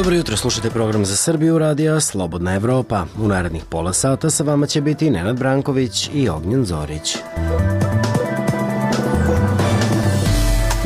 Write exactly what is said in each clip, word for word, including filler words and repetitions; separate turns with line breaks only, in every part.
Dobro jutro, slušate program za Srbiju radija Slobodna Evropa. U narednih pola sata sa vama će biti Nenad Branković i Ognjen Zorić.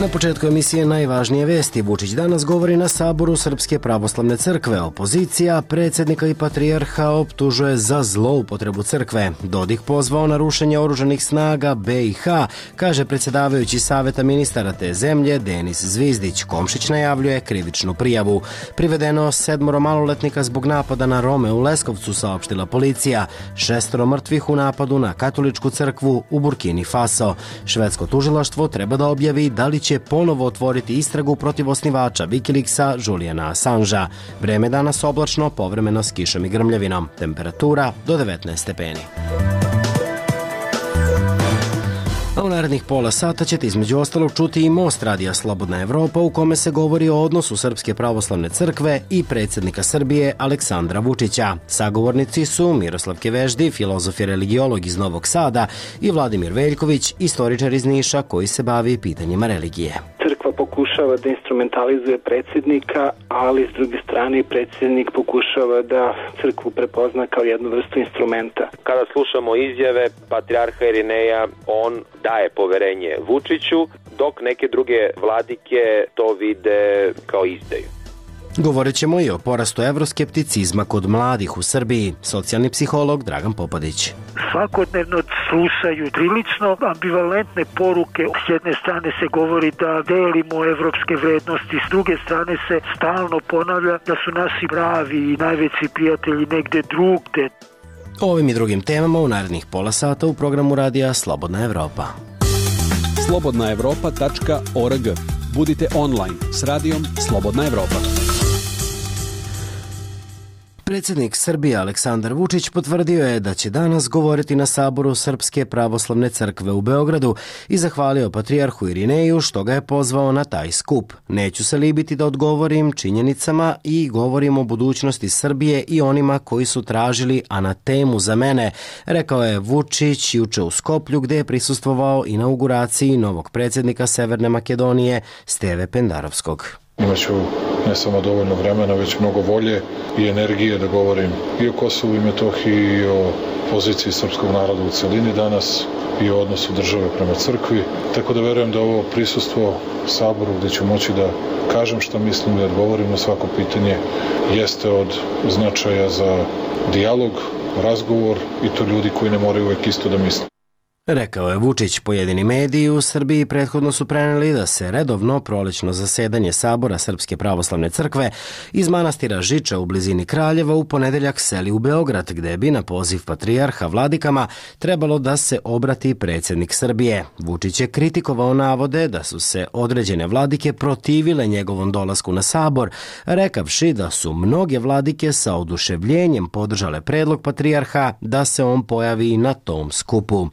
Na početku emisije najvažnije vesti. Vučić danas govori na Saboru Srpske pravoslavne crkve. Opozicija predsjednika i patrijarha optužuje za zloupotrebu crkve. Dodik pozvao na rušenje oružanih snaga B i H, kaže predsjedavajući saveta ministara te zemlje Denis Zvizdić. Komšić najavljuje krivičnu prijavu. Privedeno sedmoro maloletnika zbog napada na Rome u Leskovcu, saopštila policija. Šestoro mrtvih u napadu na katoličku crkvu u Burkini Faso. Švedsko tužilaštvo treba da objavi da li će ponovo otvoriti istragu protiv osnivača Wikileaksa Juliana Assangea. Vreme danas oblačno, povremeno s kišom i grmljavinom. Temperatura do devetnaest stepeni. A u narednih pola sata ćete između ostalog čuti i Most radija Slobodna Evropa, u kome se govori o odnosu Srpske pravoslavne crkve i predsjednika Srbije Aleksandra Vučića. Sagovornici su Miroslav Keveždi, filozof i religiolog iz Novog Sada, i Vladimir Veljković, istoričar iz Niša koji se bavi pitanjima religije.
Crkva pokušava da instrumentalizuje predsjednika, ali s druge strane predsjednik pokušava da crkvu prepozna kao jednu vrstu instrumenta.
Kada slušamo izjave patrijarha Irineja, on daje poverenje Vučiću, dok neke druge vladike to vide kao izdaju.
Govorit ćemo i o porastu evroskepticizma kod mladih u Srbiji. Socijalni psiholog Dragan Popadić.
Svakodnevno slušaju prilično ambivalentne poruke. S jedne strane se govori da delimo evropske vrednosti, s druge strane se stalno ponavlja da su naši pravi i najveći prijatelji negde drugde.
O ovim i drugim temama u narednih pola sata u programu radija Slobodna Evropa.
slobodna evropa tačka org. Budite online s radijom Slobodna Evropa.
Predsjednik Srbije Aleksandar Vučić potvrdio je da će danas govoriti na Saboru Srpske pravoslavne crkve u Beogradu i zahvalio patrijarhu Irineju što ga je pozvao na taj skup. Neću se libiti da odgovorim činjenicama i govorim o budućnosti Srbije i onima koji su tražili anatemu za mene, rekao je Vučić juče u Skoplju, gde je prisustvovao inauguraciji novog predsjednika Severne Makedonije Steve Pendarovskog.
Imaću ne samo dovoljno vremena, već mnogo volje i energije da govorim i o Kosovu i Metohiji i o poziciji srpskog naroda u celini danas i o odnosu države prema crkvi. Tako da verujem da ovo prisustvo Saboru gde ću moći da kažem šta mislim i da odgovorim na svako pitanje jeste od značaja za dijalog, razgovor i to ljudi koji ne moraju uvek isto da misle.
Rekao je Vučić. Pojedini mediji u Srbiji prethodno su preneli da se redovno prolećno zasedanje Sabora Srpske pravoslavne crkve iz manastira Žiča u blizini Kraljeva u ponedeljak seli u Beograd, gde bi na poziv patrijarha vladikama trebalo da se obrati predsjednik Srbije. Vučić je kritikovao navode da su se određene vladike protivile njegovom dolasku na Sabor, rekavši da su mnoge vladike sa oduševljenjem podržale predlog patrijarha da se on pojavi na tom skupu.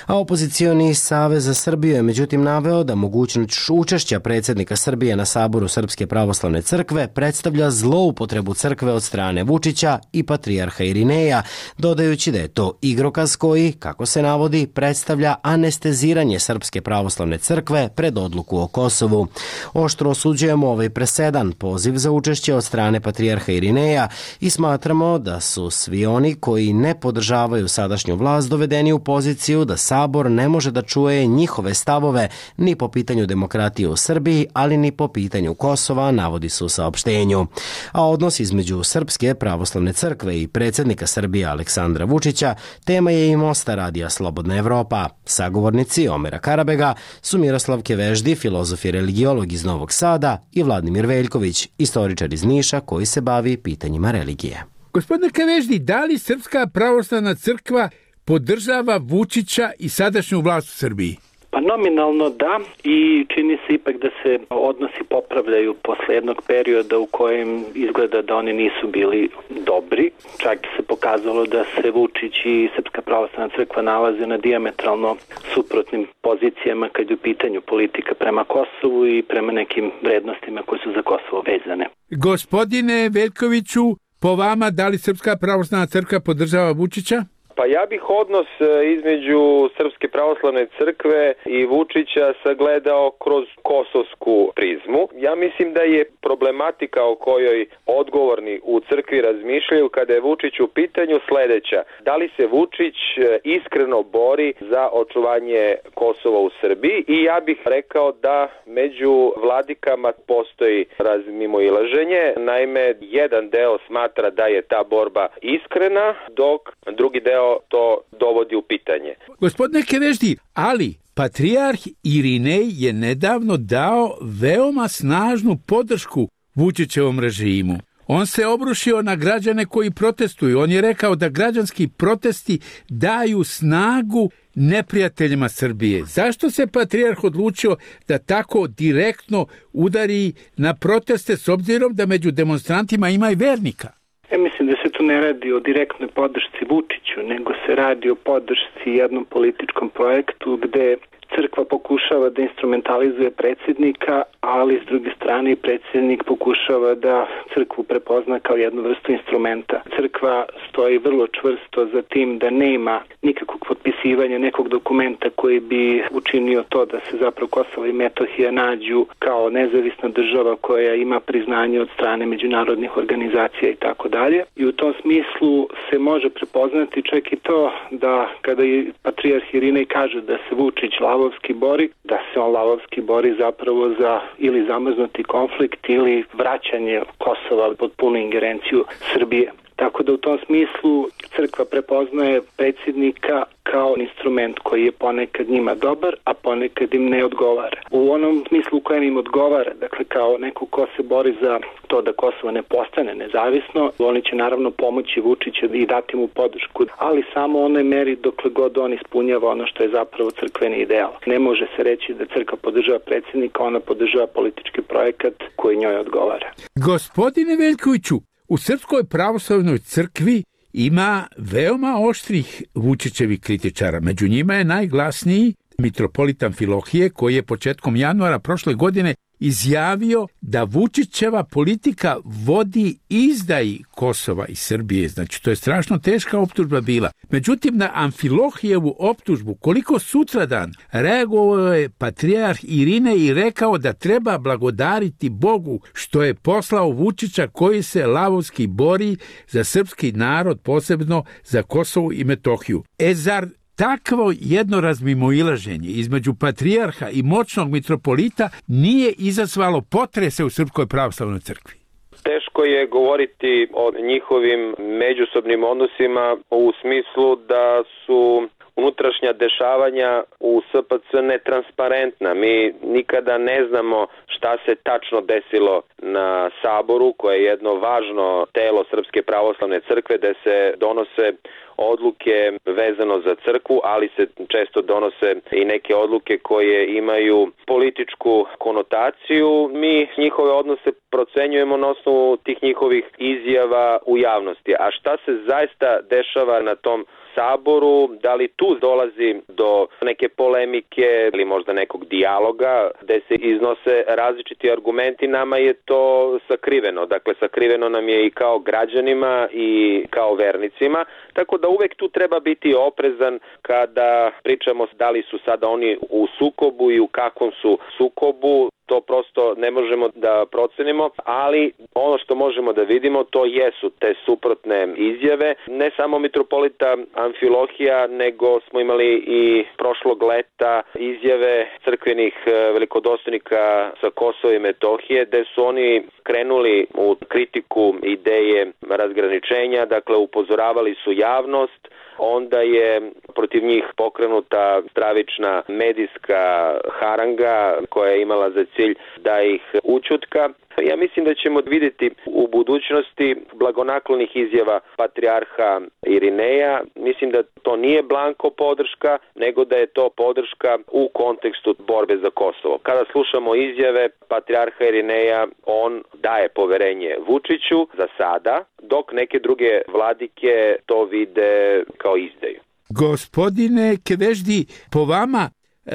A opozicioni Savez za Srbiju je međutim naveo da mogućnost učešća predsjednika Srbije na Saboru Srpske pravoslavne crkve predstavlja zloupotrebu crkve od strane Vučića i patrijarha Irineja, dodajući da je to igrokaz koji, kako se navodi, predstavlja anesteziranje Srpske pravoslavne crkve pred odluku o Kosovu. Oštro osuđujemo ovaj presedan poziv za učešće od strane patrijarha Irineja i smatramo da su svi oni koji ne podržavaju sadašnju vlast dovedeni u poziciju da Sabor ne može da čuje njihove stavove ni po pitanju demokratije u Srbiji, ali ni po pitanju Kosova, navodi se u saopštenju. A odnos između Srpske pravoslavne crkve i predsjednika Srbije Aleksandra Vučića tema je i Mosta radija Slobodna Evropa. Sagovornici Omera Karabega su Miroslav Keveždi, filozof i religiolog iz Novog Sada, i Vladimir Veljković, istoričar iz Niša koji se bavi pitanjima religije.
Gospodine Keveždi, da li Srpska pravoslavna crkva podržava Vučića i sadašnju vlast u Srbiji?
Pa nominalno da, i čini se ipak da se odnosi popravljaju posle jednog perioda u kojem izgleda da oni nisu bili dobri. Čak se pokazalo da se Vučić i Srpska pravoslavna crkva nalaze na dijametralno suprotnim pozicijama kad je u pitanju politika prema Kosovu i prema nekim vrednostima koje su za Kosovo vezane.
Gospodine Veljkoviću, po vama, da li Srpska pravoslavna crkva podržava Vučića?
Pa ja bih odnos između Srpske pravoslavne crkve i Vučića sagledao kroz kosovsku prizmu. Ja mislim da je problematika o kojoj odgovorni u crkvi razmišljaju kada je Vučić u pitanju sledeća. Da li se Vučić iskreno bori za očuvanje Kosova u Srbiji? I ja bih rekao da među vladikama postoji razmimoilaženje. Naime, jedan deo smatra da je ta borba iskrena, dok drugi deo to dovodi u pitanje.
Gospodine Keveždi, ali patrijarh Irinej je nedavno dao veoma snažnu podršku Vučićevom režimu. On se obrušio na građane koji protestuju. On je rekao da građanski protesti daju snagu neprijateljima Srbije. Zašto se patrijarh odlučio da tako direktno udari na proteste s obzirom da među demonstrantima ima i vernika?
Ja mislim da se tu ne radi o direktnoj podršci Vučiću, nego se radi o podršci jednom političkom projektu gde crkva pokušava da instrumentalizuje predsjednika, ali s druge strane predsjednik pokušava da crkvu prepozna kao jednu vrstu instrumenta. Crkva stoji vrlo čvrsto za tim da nema nikakvog potpisivanja nekog dokumenta koji bi učinio to da se zapravo Kosovo i Metohija nađu kao nezavisna država koja ima priznanje od strane međunarodnih organizacija i tako dalje. I u tom smislu se može prepoznati čak i to da kada je patrijarh Irinej kaže da se Vučić lavovski bori, da se on lavovski bori zapravo za ili zamrznuti konflikt ili vraćanje Kosova pod punu ingerenciju Srbije. Tako da u tom smislu crkva prepoznaje predsjednika kao instrument koji je ponekad njima dobar, a ponekad im ne odgovara. U onom smislu u kojem im odgovara, dakle kao neko ko se bori za to da Kosovo ne postane nezavisno, oni će naravno pomoći Vučiću i dati mu podršku, ali samo u onoj meri dokle god on ispunjava ono što je zapravo crkveni ideal. Ne može se reći da crkva podržava predsjednika, ona podržava politički projekat koji njoj odgovara.
Gospodine Veljkoviću, u Srpskoj pravoslavnoj crkvi ima veoma oštrih Vučićevih kritičara. Među njima je najglasniji mitropolit Amfilohije, koji je početkom januara prošle godine izjavio da Vučićeva politika vodi izdaji Kosova i Srbije. Znači, to je strašno teška optužba bila. Međutim, na Amfilohijevu optužbu, koliko sutradan reagovao je patrijarh Irinej i rekao da treba blagodariti Bogu što je poslao Vučića koji se lavovski bori za srpski narod, posebno za Kosovo i Metohiju. E zar takvo jedno razmimoilaženje između patrijarha i moćnog mitropolita nije izazvalo potrese u Srpskoj pravoslavnoj crkvi?
Teško je govoriti o njihovim međusobnim odnosima u smislu da su unutrašnja dešavanja u S P C netransparentna. Mi nikada ne znamo šta se tačno desilo na Saboru, koje je jedno važno telo Srpske pravoslavne crkve, gde se donose odluke vezano za crkvu, ali se često donose i neke odluke koje imaju političku konotaciju. Mi njihove odnose procenjujemo na osnovu tih njihovih izjava u javnosti. A šta se zaista dešava na tom Saboru, da li tu dolazi do neke polemike ili možda nekog dijaloga gde se iznose različiti argumenti, nama je to sakriveno. Dakle, sakriveno nam je i kao građanima i kao vernicima, tako da uvek tu treba biti oprezan kada pričamo da li su sada oni u sukobu i u kakvom su sukobu. To prosto ne možemo da procenimo, ali ono što možemo da vidimo to jesu te suprotne izjave. Ne samo mitropolita Amfilohija, nego smo imali i prošlog leta izjave crkvenih velikodostojnika sa Kosova i Metohije, gde su oni krenuli u kritiku ideje razgraničenja, dakle upozoravali su javnost. Onda je protiv njih pokrenuta stravična medijska haranga koja je imala za cilj da ih ućutka. Ja mislim da ćemo vidjeti u budućnosti blagonaklonih izjava patrijarha Irineja. Mislim da to nije blanko podrška, nego da je to podrška u kontekstu borbe za Kosovo. Kada slušamo izjave patrijarha Irineja, on daje poverenje Vučiću za sada, dok neke druge vladike to vide kao izdaju.
Gospodine Keveždi, po vama,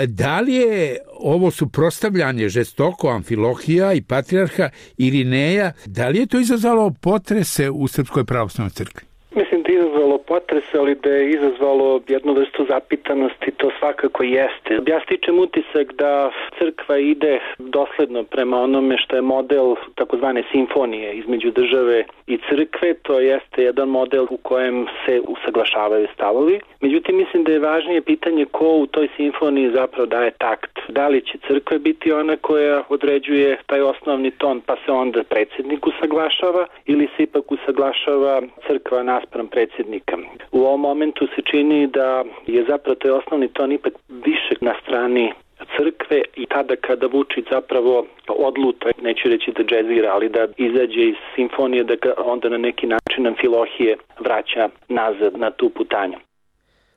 da li je ovo suprotstavljanje žestoko Amfilohija i patrijarha Irineja, da li je to izazvalo potrese u Srpskoj pravoslavnoj crkvi?
Mislim da je izazvalo potres, ali da je izazvalo jednu vrstu zapitanosti, to svakako jeste. Ja stičem utisak da crkva ide dosledno prema onome što je model takozvane simfonije između države i crkve, to jeste jedan model u kojem se usaglašavaju stavovi. Međutim, mislim da je važnije pitanje ko u toj simfoniji zapravo daje takt. Da li će crkva biti ona koja određuje taj osnovni ton, pa se onda predsjednik usaglašava, ili se ipak usaglašava crkva naspram predsjednika. U ovom momentu se čini da je zapravo taj osnovni ton ipak više na strani crkve i tada kada Vučić zapravo odluta, neću reći da džezira, ali da izađe iz simfonije, da ga onda na neki način Amfilohije vraća nazad na tu putanju.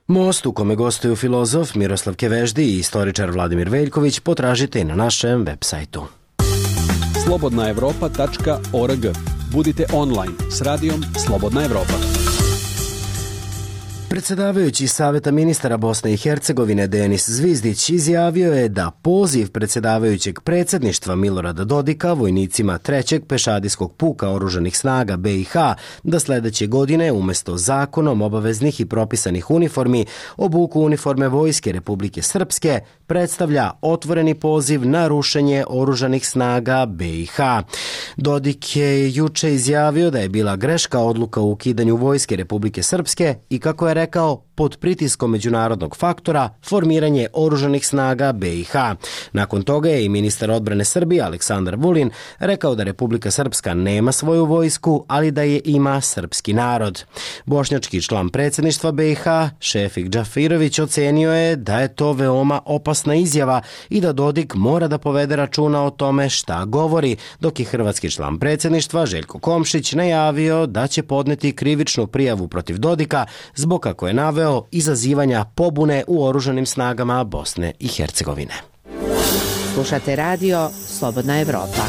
Most u kome gostuju filozof Miroslav Keveždi i istoričar Vladimir Veljković potražite i na našem web sajtu.
slobodna evropa tačka org. Budite online s radijom Slobodna Evropa.
Predsjedavajući Saveta ministara Bosne i Hercegovine Denis Zvizdić izjavio je da poziv predsjedavajućeg predsjedništva Milorada Dodika vojnicima trećeg pešadijskog puka oružanih snaga B i H da sljedeće godine umjesto zakonom obaveznih i propisanih uniformi obuku uniforme Vojske Republike Srpske predstavlja otvoreni poziv na rušenje oružanih snaga B i H. Dodik je juče izjavio da je bila greška odluka o ukidanju Vojske Republike Srpske i kako je rekao, pod pritiskom međunarodnog faktora formiranje oružanih snaga B i H. Nakon toga je i ministar odbrane Srbije Aleksandar Vulin rekao da Republika Srpska nema svoju vojsku, ali da je ima srpski narod. Bošnjački član predsjedništva B i H, Šefik Džafirović, ocenio je da je to veoma opasna izjava i da Dodik mora da povede računa o tome šta govori, dok je hrvatski član predsjedništva Željko Komšić najavio da će podneti krivičnu prijavu protiv Dodika zbog, kako je naveo, izazivanja pobune u oružanim snagama Bosne i Hercegovine.
Slušate radio Slobodna Evropa.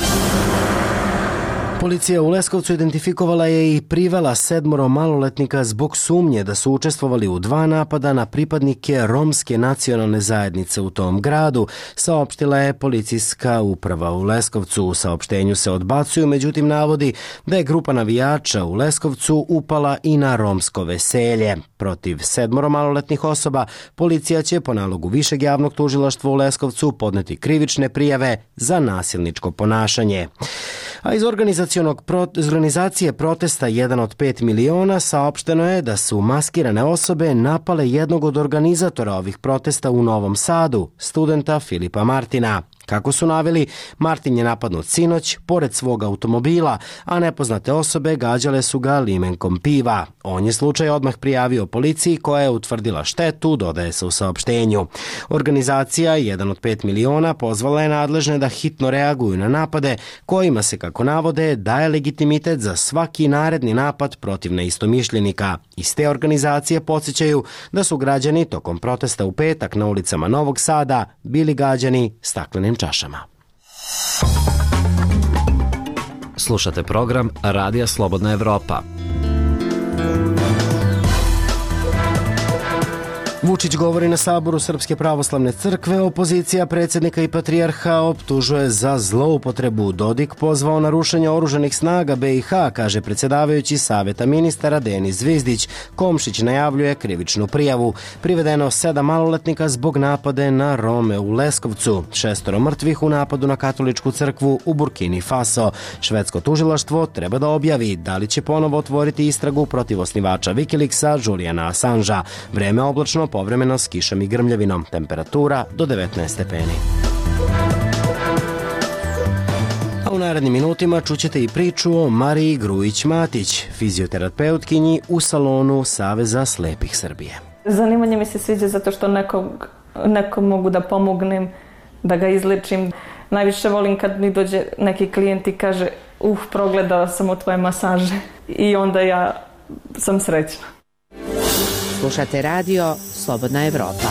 Policija u Leskovcu identifikovala je i privela sedmoro maloletnika zbog sumnje da su učestvovali u dva napada na pripadnike romske nacionalne zajednice u tom gradu, saopštila je policijska uprava u Leskovcu. U saopštenju se odbacuju, međutim navodi da je grupa navijača u Leskovcu upala i na romsko veselje. Protiv sedmoro maloletnih osoba policija će po nalogu Višeg javnog tužilaštva u Leskovcu podneti krivične prijave za nasilničko ponašanje. A iz organizacije protesta jedan od pet miliona saopšteno je da su maskirane osobe napale jednog od organizatora ovih protesta u Novom Sadu, studenta Filipa Martina. Kako su naveli, Martin je napadnut sinoć pored svog automobila, a nepoznate osobe gađale su ga limenkom piva. On je slučaj odmah prijavio policiji koja je utvrdila štetu, dodaje se u saopštenju. Organizacija jedan od pet miliona pozvala je nadležne da hitno reaguju na napade kojima se, kako navode, daje legitimitet za svaki naredni napad protiv neistomišljenika. Iz te organizacije podsjećaju da su građani tokom protesta u petak na ulicama Novog Sada bili gađani staklenim čašama.
Slušate program Radija Slobodna Evropa.
Vučić govori na saboru Srpske pravoslavne crkve, opozicija predsjednika i patrijarha optužuje za zloupotrebu. Dodik pozvao na rušenje oružanih snaga B i H, kaže predsjedavajući Saveta ministara Denis Zvizdić. Komšić najavljuje krivičnu prijavu. Privedeno sedam maloletnika zbog napade na Rome u Leskovcu. Šestoro mrtvih u napadu na katoličku crkvu u Burkini Faso. Švedsko tužilaštvo treba da objavi da li će ponovo otvoriti istragu protiv osnivača Wikileaksa Juliana Assangea. Vreme oblačno, povremeno s kišom i grmljavinom. Temperatura do devetnaest stepeni. A u narednim minutima čućete i priču o Mariji Grujić-Matić, fizioterapeutkinji u salonu Saveza slepih Srbije.
Zanimanje mi se sviđa zato što nekog, nekom mogu da pomognem, da ga izlečim. Najviše volim kad mi dođe neki klijent i kaže uh, progledao sam u tvoje masaže i onda ja sam srećna.
Slušate radio Slobodna Evropa.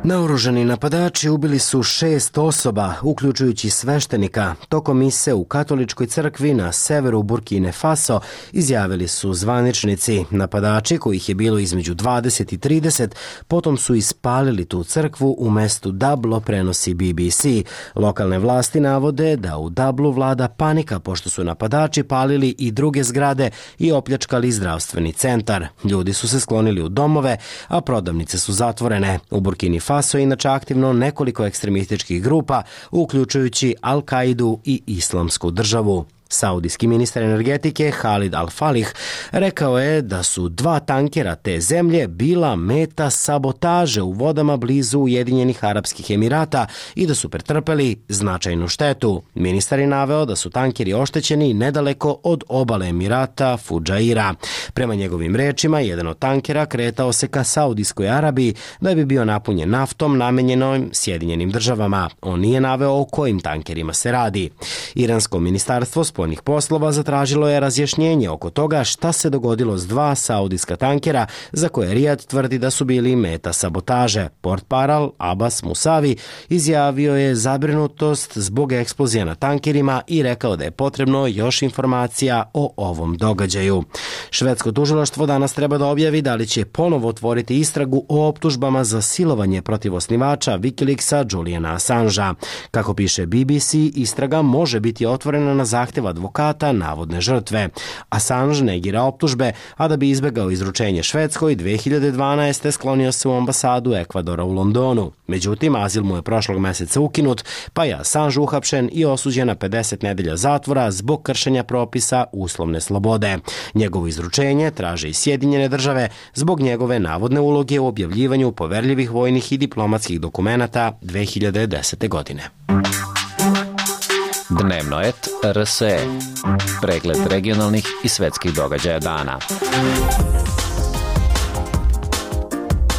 Naoružani napadači ubili su šest osoba, uključujući sveštenika, tokom mise u katoličkoj crkvi na severu Burkine Faso, izjavili su zvaničnici. Napadači, kojih je bilo između dvadeset i trideset, potom su ispalili tu crkvu u mestu Dablo, prenosi B B C. Lokalne vlasti navode da u Dablu vlada panika pošto su napadači palili i druge zgrade i opljačkali zdravstveni centar. Ljudi su se sklonili u domove, a prodavnice su zatvorene. U Burkini Faso Faso je inače aktivno nekoliko ekstremističkih grupa, uključujući Al-Kaidu i Islamsku državu. Saudijski ministar energetike Khalid Al-Falih rekao je da su dva tankera te zemlje bila meta sabotaže u vodama blizu Ujedinjenih Arapskih Emirata i da su pretrpeli značajnu štetu. Ministar je naveo da su tankeri oštećeni nedaleko od obale Emirata Fudžaira. Prema njegovim rečima, jedan od tankera kretao se ka Saudijskoj Arabiji da bi bio napunjen naftom namenjenom Sjedinjenim državama. On nije naveo o kojim tankerima se radi. Iransko ministarstvo spoljnih poslova zatražilo je razjašnjenje oko toga šta se dogodilo s dva saudijska tankera za koje Rijad tvrdi da su bili meta sabotaže. Portparal Abbas Musavi izjavio je zabrinutost zbog eksplozija na tankerima i rekao da je potrebno još informacija o ovom događaju. Švedsko tužilaštvo danas treba da objavi da li će ponovo otvoriti istragu o optužbama za silovanje protiv osnivača Wikileaksa Juliana Assangea. Kako piše B B C, istraga može biti otvorena na zahtev advokata navodne žrtve. Assange negira optužbe, a da bi izbegao izručenje Švedskoj, dve hiljade dvanaeste. sklonio se u ambasadu Ekvadora u Londonu. Međutim, azil mu je prošlog meseca ukinut, pa je Assange uhapšen i osuđen na pedeset nedelja zatvora zbog kršenja propisa uslovne slobode. Njegovo izručenje traže i Sjedinjene države zbog njegove navodne uloge u objavljivanju poverljivih vojnih i diplomatskih dokumenata dve hiljade desete. godine.
Dnevno et R S E. Pregled regionalnih i svetskih događaja dana.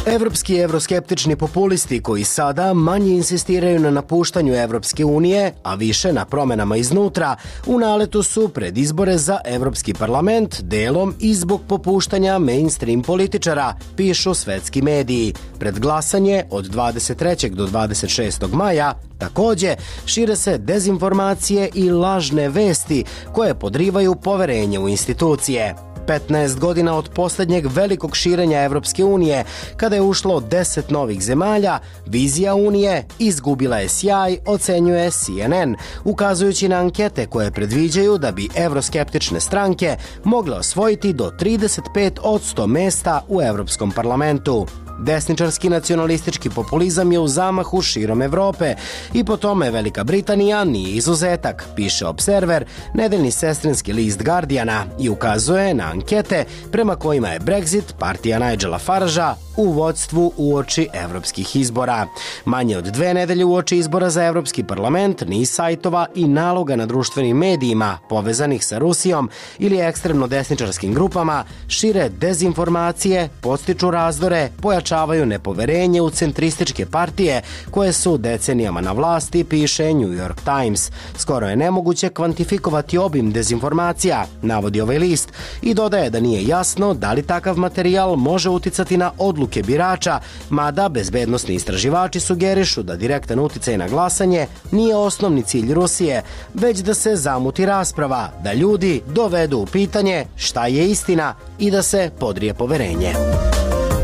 Evropski i evroskeptični populisti koji sada manje insistiraju na napuštanju Evropske unije, a više na promenama iznutra, u naletu su pred izbore za Evropski parlament, delom i zbog popuštanja mainstream političara, pišu svetski mediji. Pred glasanje od dvadeset trećeg do dvadeset šestog maja takođe šire se dezinformacije i lažne vesti koje podrivaju poverenje u institucije. petnaest godina od poslednjeg velikog širenja Evropske unije, kada je ušlo deset novih zemalja, vizija Unije izgubila je sjaj, ocenjuje C N N, ukazujući na ankete koje predviđaju da bi evroskeptične stranke mogle osvojiti do trideset pet posto mesta u Evropskom parlamentu. Desničarski nacionalistički populizam je u zamahu širom Evrope i po tome Velika Britanija nije izuzetak, piše Observer, nedeljni sestrinski list Guardiana, i ukazuje na ankete prema kojima je Brexit, partija Nigela Faragea, u vodstvu uoči evropskih izbora. Manje od dve nedelje uoči izbora za Evropski parlament niz sajtova i naloga na društvenim medijima povezanih sa Rusijom ili ekstremno desničarskim grupama šire dezinformacije, podstiču razdore, pojačavaju nepoverenje u centrističke partije koje su decenijama na vlasti, piše New York Times. Skoro je nemoguće kvantifikovati obim dezinformacija, navodi ovaj list, i dodaje da nije jasno da li takav materijal može uticati na odluke birača, mada bezbednosni istraživači sugerišu da direktan uticaj na glasanje nije osnovni cilj Rusije, već da se zamuti rasprava, da ljudi dovedu u pitanje šta je istina i da se podrije poverenje.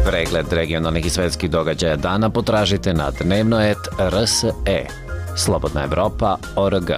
Pregled regionalnih i svetskih događaja dana potražite na dnevno et R S E. Slobodna Evropa O R G.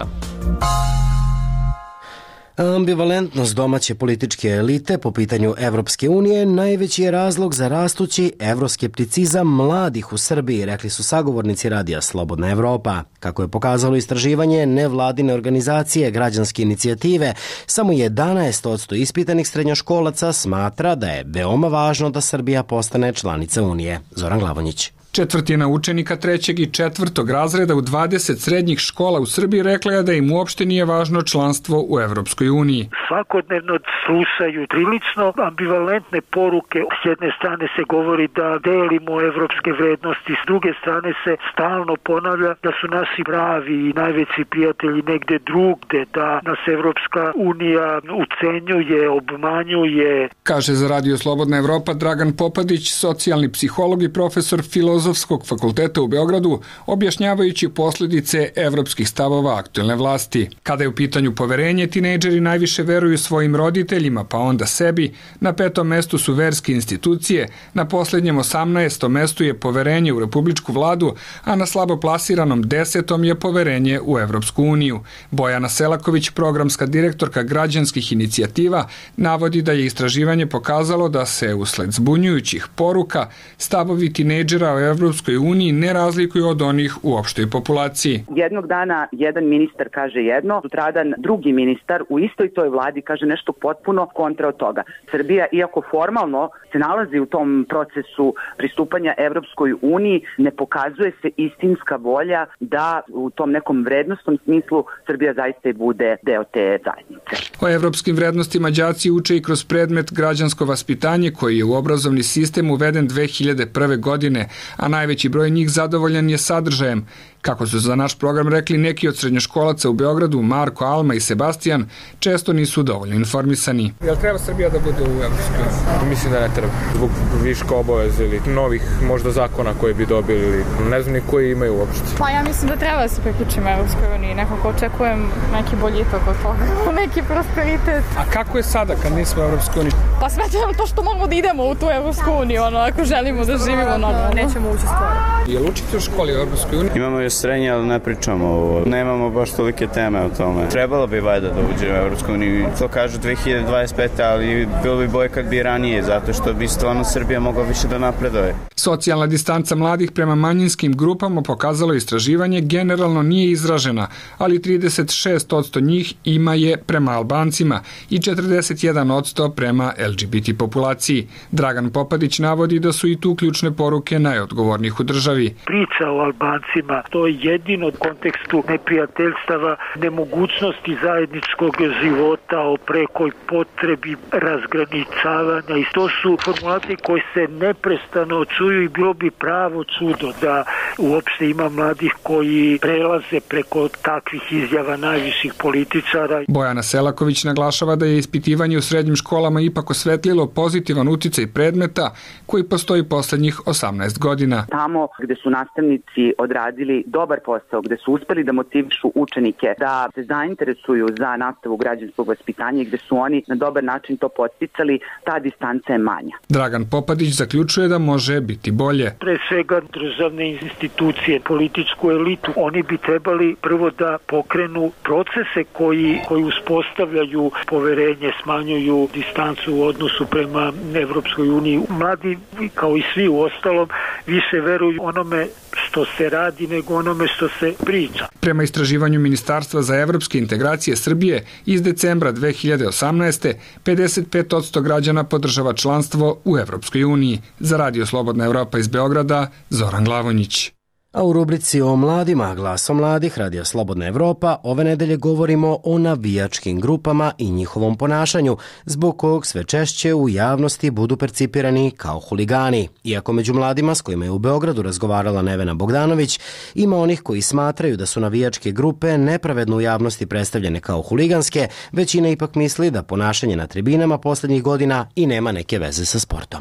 Ambivalentnost domaće političke elite po pitanju Evropske unije najveći je razlog za rastući evroskepticizam mladih u Srbiji, rekli su sagovornici radija Slobodna Evropa. Kako je pokazalo istraživanje nevladine organizacije Građanske inicijative, samo jedanaest posto ispitanih srednjoškolaca smatra da je veoma važno da Srbija postane članica Unije. Zoran Glavonjić.
Četvrtina učenika trećeg i četvrtog razreda u dvadeset srednjih škola u Srbiji rekla je da im uopšte nije važno članstvo u Evropskoj uniji.
Svakodnevno slušaju prilično ambivalentne poruke. S jedne strane se govori da delimo evropske vrednosti, s druge strane se stalno ponavlja da su naši pravi i najveći prijatelji negde drugde, da nas Evropska unija ucenjuje, obmanjuje.
Kaže za Radio Slobodna Evropa Dragan Popadić, socijalni psiholog i profesor filozofije Filozofskog fakulteta u Beogradu, objašnjavajući posljedice evropskih stavova aktuelne vlasti. Kada je u pitanju poverenje, tinejdžeri najviše veruju svojim roditeljima, pa onda sebi. Na petom mestu su verske institucije, na posljednjem osamnaestom mestu je poverenje u republičku vladu, a na slabo plasiranom desetom je poverenje u Evropsku uniju. Bojana Selaković, programska direktorka građanskih inicijativa, navodi da je istraživanje pokazalo da se usled zbunjujućih poruka stavovi tinejdžera o Evropskoj uniji ne razlikuju od onih u opštoj populaciji.
Jednog dana jedan ministar kaže jedno, sutradan drugi ministar u istoj toj vladi kaže nešto potpuno kontra od toga. Srbija, iako formalno se nalazi u tom procesu pristupanja Evropskoj uniji, ne pokazuje se istinska volja da u tom nekom vrednostnom smislu Srbija zaista i bude deo te zajednice.
O evropskim vrednostima đaci uče i kroz predmet građansko vaspitanje koji je u obrazovni sistem uveden dve hiljade prve. godine, a najveći broj njih zadovoljan je sadržajem. Kako su za naš program rekli neki od srednjoškolaca u Beogradu, Marko, Alma i Sebastijan, često nisu dovoljno informisani. Jel treba Srbija da bude u Evropskoj uniji?
Mislim da ne treba. Zbog viška obaveza ili novih možda zakona koje bi dobili ili ne znam ni koji imaju uopšte.
Pa ja mislim da treba da se priključimo Evropskoj uniji. Nekako očekujem neki boljitak od toga, neki prosperitet.
A kako je sada kad nismo u Evropskoj uniji?
Pa smatram to što moramo da idemo u tu Evropsku uniju, ono, ako želimo da živimo normalno. Nećemo ući skoro.
Jel učite u školi u Evropskoj uniji?
Imamo još srednje, ali ne pričamo ovo. Nemamo baš tolike teme o tome. Trebalo bi valjda da uđe u Evropsku uniju. To kažu dve hiljade dvadeset pete. ali bilo bi bolje kad bi ranije, zato što bi stvarno Srbija mogla više da napreduje.
Socijalna distanca mladih prema manjinskim grupama, pokazalo istraživanje, generalno nije izražena, ali trideset šest posto njih ima je prema Albancima i četrdeset jedan posto prema el ge be te populaciji. Dragan Popadić navodi da su i tu ključne poruke najodgovornijih u državi.
Priča o Albancima, to je jedino u kontekstu neprijateljstava, nemogućnosti zajedničkog života, o prekoj potrebi razgraničavanja, i to su formulacije koje se neprestano čuju i bilo bi pravo čudo da uopšte ima mladih koji prelaze preko takvih izjava najviših političara.
Bojana Selaković naglašava da je ispitivanje u srednjim školama ipak osvetlilo pozitivan uticaj predmeta koji postoji poslednjih osamnaest godina.
Tamo gde su nastavnici odradili dobar posao, gde su uspeli da motivišu učenike da se zainteresuju za nastavu građanskog vaspitanja i gde su oni na dobar način to podsticali, ta distanca je manja.
Dragan Popadić zaključuje da može biti bolje.
Pre svega državne institucije, političku elitu, oni bi trebali prvo da pokrenu procese koji, koji uspostavljaju poverenje, smanjuju distancu u odnosu prema Evropskoj uniji. Mladi, kao i svi u ostalom, više veruju onome što se radi nego onome što se priča.
Prema istraživanju Ministarstva za evropske integracije Srbije iz decembra dve hiljade osamnaeste. pedeset pet posto građana podržava članstvo u Evropskoj uniji. Za Radio Slobodna Evropa iz Beograda, Zoran Glavonjić.
A u rubrici o mladima, Glasom mladih, Radio Slobodna Evropa, ove nedelje govorimo o navijačkim grupama i njihovom ponašanju, zbog kog sve češće u javnosti budu percipirani kao huligani. Iako među mladima s kojima je u Beogradu razgovarala Nevena Bogdanović, ima onih koji smatraju da su navijačke grupe nepravedno u javnosti predstavljene kao huliganske, većina ipak misli da ponašanje na tribinama poslednjih godina i nema neke veze sa sportom.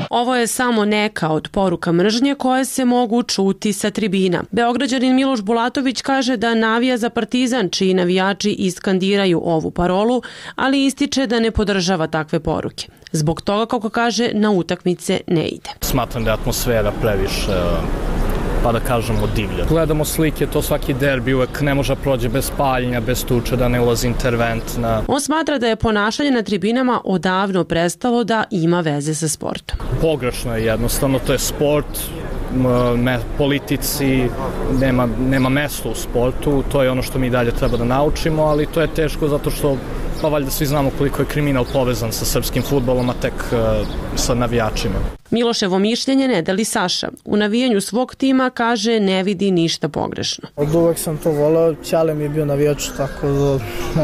Ovo je samo neka od poruka mržnje koje se mogu čuti sa tribina. Beograđanin Miloš Bulatović kaže da navija za Partizan, čiji navijači iskandiraju ovu parolu, ali ističe da ne podržava takve poruke. Zbog toga, kako kaže, na utakmice ne ide.
Smatram da je atmosfera previše, pa da kažemo, divlja. Gledamo slike, to svaki derbi uvek ne može prođe bez paljenja, bez tuče, da ne ulazi intervent. Na...
On smatra da je ponašanje na tribinama odavno prestalo da ima veze sa sportom.
Pogrešno je jednostavno, to je sport, me, politici, nema, nema mesta u sportu, to je ono što mi dalje treba da naučimo, ali to je teško zato što pa valjda svi znamo koliko je kriminal povezan sa srpskim fudbalom, a tek uh, sa navijačima.
Miloševo mišljenje ne deli Saša. U navijanju svog tima kaže ne vidi ništa pogrešno.
Od uvek sam to volao, Ćale mi je bio navijač, tako da...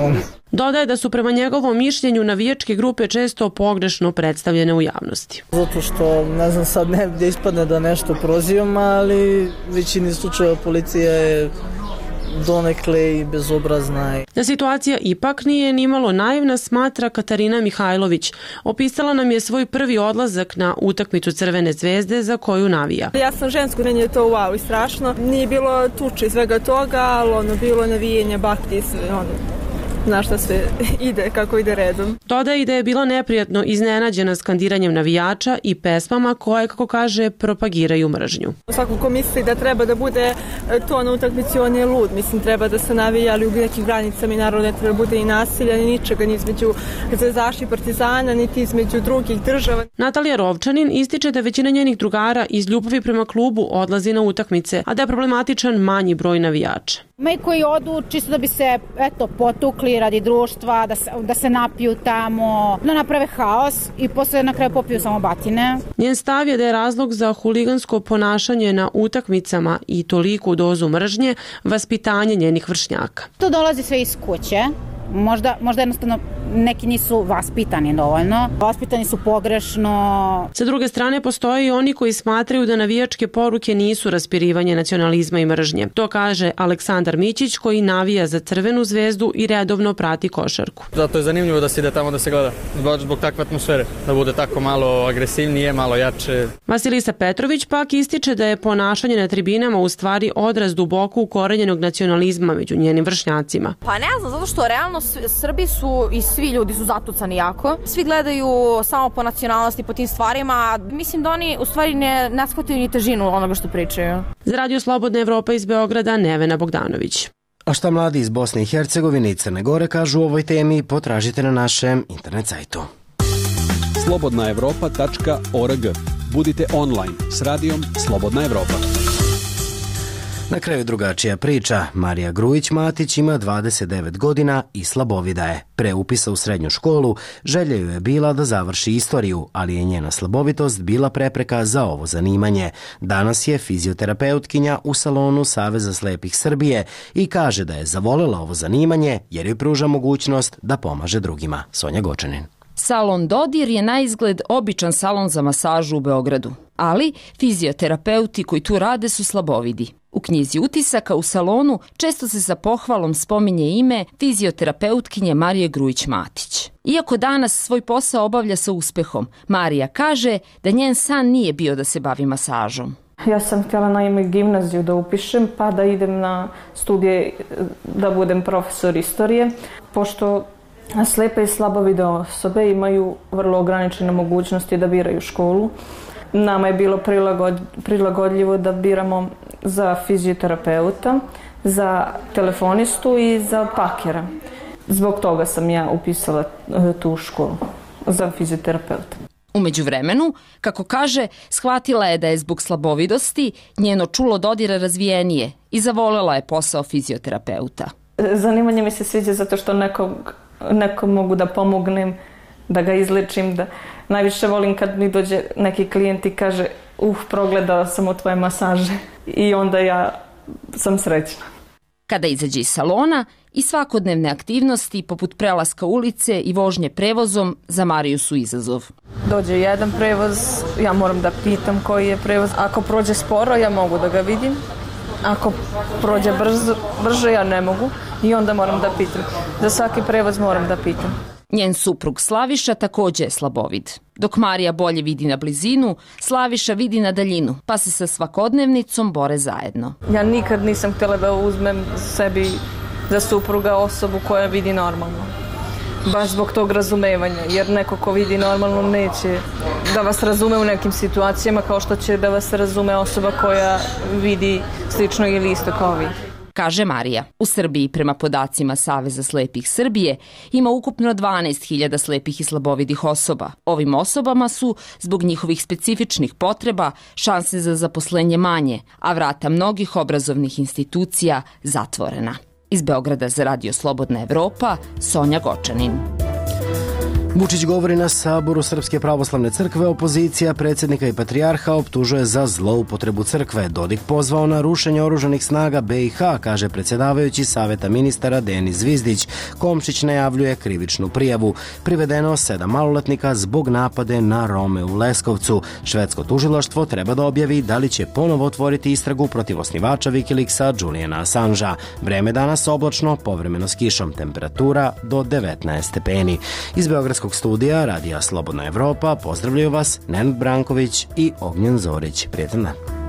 Um.
Dodaje da su prema njegovom mišljenju navijačke grupe često pogrešno predstavljene u javnosti.
Zato što, ne znam sad, ne gdje ispadne da nešto prozivam, ali većini slučajeva policija je donekle i bezobrazna.
Da situacija ipak nije nimalo naivna, smatra Katarina Mihajlović. Opisala nam je svoj prvi odlazak na utakmicu Crvene zvezde za koju navija.
Ja sam žensko, meni je to wow i strašno. Nije bilo tuče i svega toga, ali ono, bilo navijenje, bakti i sve, ono, zna šta sve ide, kako ide redom.
Dodaje i da je bila neprijatno iznenađena skandiranjem navijača i pesmama koje, kako kaže, propagiraju mržnju.
Svako ko misli da treba da bude to na utakmici, on je lud. Mislim, treba da se navija, ali u nekim granicama i naravno ne treba da bude i nasilja, ni ničega, ni između zvezdaša i partizana, niti između drugih država.
Natalija Rovčanin ističe da većina njenih drugara iz ljubavi prema klubu odlazi na utakmice, a da je problematičan manji broj navijača.
Ma i koji odu čisto da bi se, eto, potukli radi društva, da se, da se napiju tamo, da naprave haos i posle na kraju popiju samo batine.
Njen stav je da je razlog za huligansko ponašanje na utakmicama i toliku dozu mržnje vaspitanje njenih vršnjaka.
To dolazi sve iz kuće. Možda, možda jednostavno neki nisu vaspitani dovoljno. Vaspitani su pogrešno.
Sa druge strane, postoje i oni koji smatraju da navijačke poruke nisu raspirivanje nacionalizma i mržnje. To kaže Aleksandar Mićić, koji navija za Crvenu zvezdu i redovno prati košarku.
Zato je zanimljivo da se ide tamo da se gleda. Baš zbog takve atmosfere. Da bude tako malo agresivnije, malo jače.
Vasilisa Petrović pak ističe da je ponašanje na tribinama u stvari odraz duboko ukorenjenog nacionalizma među njenim vršnjacima.
Pa ne znam, zato što realno Srbi su i svi ljudi su zatucani jako. Svi gledaju samo po nacionalnosti, po tim stvarima. Mislim da oni u stvari ne, ne shvataju ni težinu onoga što pričaju.
Za Radio Slobodna Evropa iz Beograda, Nevena Bogdanović.
A šta mladi iz Bosne i Hercegovine i Crne Gore kažu o ovoj temi, potražite na našem internet sajtu.
slobodna evropa tačka org. Budite online s radijom Slobodna Evropa.
Na kraju drugačija priča. Marija Grujić-Matić ima dvadeset devet godina i slabovida je. Pre upisa u srednju školu želja joj je bila da završi istoriju, ali je njena slabovitost bila prepreka za ovo zanimanje. Danas je fizioterapeutkinja u salonu Saveza slepih Srbije i kaže da je zavolela ovo zanimanje jer joj pruža mogućnost da pomaže drugima. Sonja Gočanin.
Salon Dodir je na izgled običan salon za masažu u Beogradu, ali fizioterapeuti koji tu rade su slabovidi. U knjizi utisaka u salonu često se sa pohvalom spominje ime fizioterapeutkinje Marije Grujić-Matić. Iako danas svoj posao obavlja sa uspehom, Marija kaže da njen san nije bio da se bavi masažom.
Ja sam htjela naime gimnaziju da upišem, pa da idem na studije da budem profesor istorije, pošto slepe i slabovide osobe imaju vrlo ograničene mogućnosti da biraju školu. Nama je bilo prilagod, prilagodljivo da biramo za fizioterapeuta, za telefonistu i za pakera. Zbog toga sam ja upisala tu školu za fizioterapeuta.
U međuvremenu, kako kaže, shvatila je da je zbog slabovidosti njeno čulo dodira razvijenije i zavolela je posao fizioterapeuta.
Zanimanje mi se sviđa zato što nekog, nekom mogu da pomognem, da ga izlečim, da najviše volim kad mi dođe neki klijent i kaže uh, progledala sam u tvoje masaže i onda ja sam srećna.
Kada izađe iz salona i svakodnevne aktivnosti poput prelaska ulice i vožnje prevozom za Mariju su izazov.
Dođe jedan prevoz, ja moram da pitam koji je prevoz. Ako prođe sporo, ja mogu da ga vidim. Ako prođe brzo, brže, ja ne mogu i onda moram da pitam. Za svaki prevoz moram da pitam.
Njen suprug Slaviša takođe je slabovid. Dok Marija bolje vidi na blizinu, Slaviša vidi na daljinu, pa se sa svakodnevnicom bore zajedno.
Ja nikad nisam htjela da uzmem sebi za supruga osobu koja vidi normalno. Baš zbog tog razumevanja, jer neko ko vidi normalno neće da vas razume u nekim situacijama kao što će da vas razume osoba koja vidi slično ili isto kao vi.
Kaže Marija. U Srbiji, prema podacima Saveza slepih Srbije, ima ukupno dvanaest hiljada slepih i slabovidih osoba. Ovim osobama su, zbog njihovih specifičnih potreba, šanse za zaposlenje manje, a vrata mnogih obrazovnih institucija zatvorena. Iz Beograda za Radio Slobodna Evropa, Sonja Gočanin.
Vučić govori na saboru Srpske pravoslavne crkve, opozicija predsjednika i patrijarha optužuje za zloupotrebu crkve. Dodik pozvao na rušenje oružanih snaga B i H, kaže predsjedavajući Saveta ministara Denis Zvizdić. Komšić najavljuje krivičnu prijavu. Privedeno sedam maloletnika zbog napade na Rome u Leskovcu. Švedsko tužilaštvo treba da objavi da li će ponovo otvoriti istragu protiv osnivača Wikileaksa Juliana Assangea. Vreme danas oblačno, povremeno s kišom, temperatura do devetnaest stepeni. Iz Beogradskog studija Radija Slobodna Evropa pozdravljaju vas Nenad Branković i Ognjen Zorić. Prijetan dan.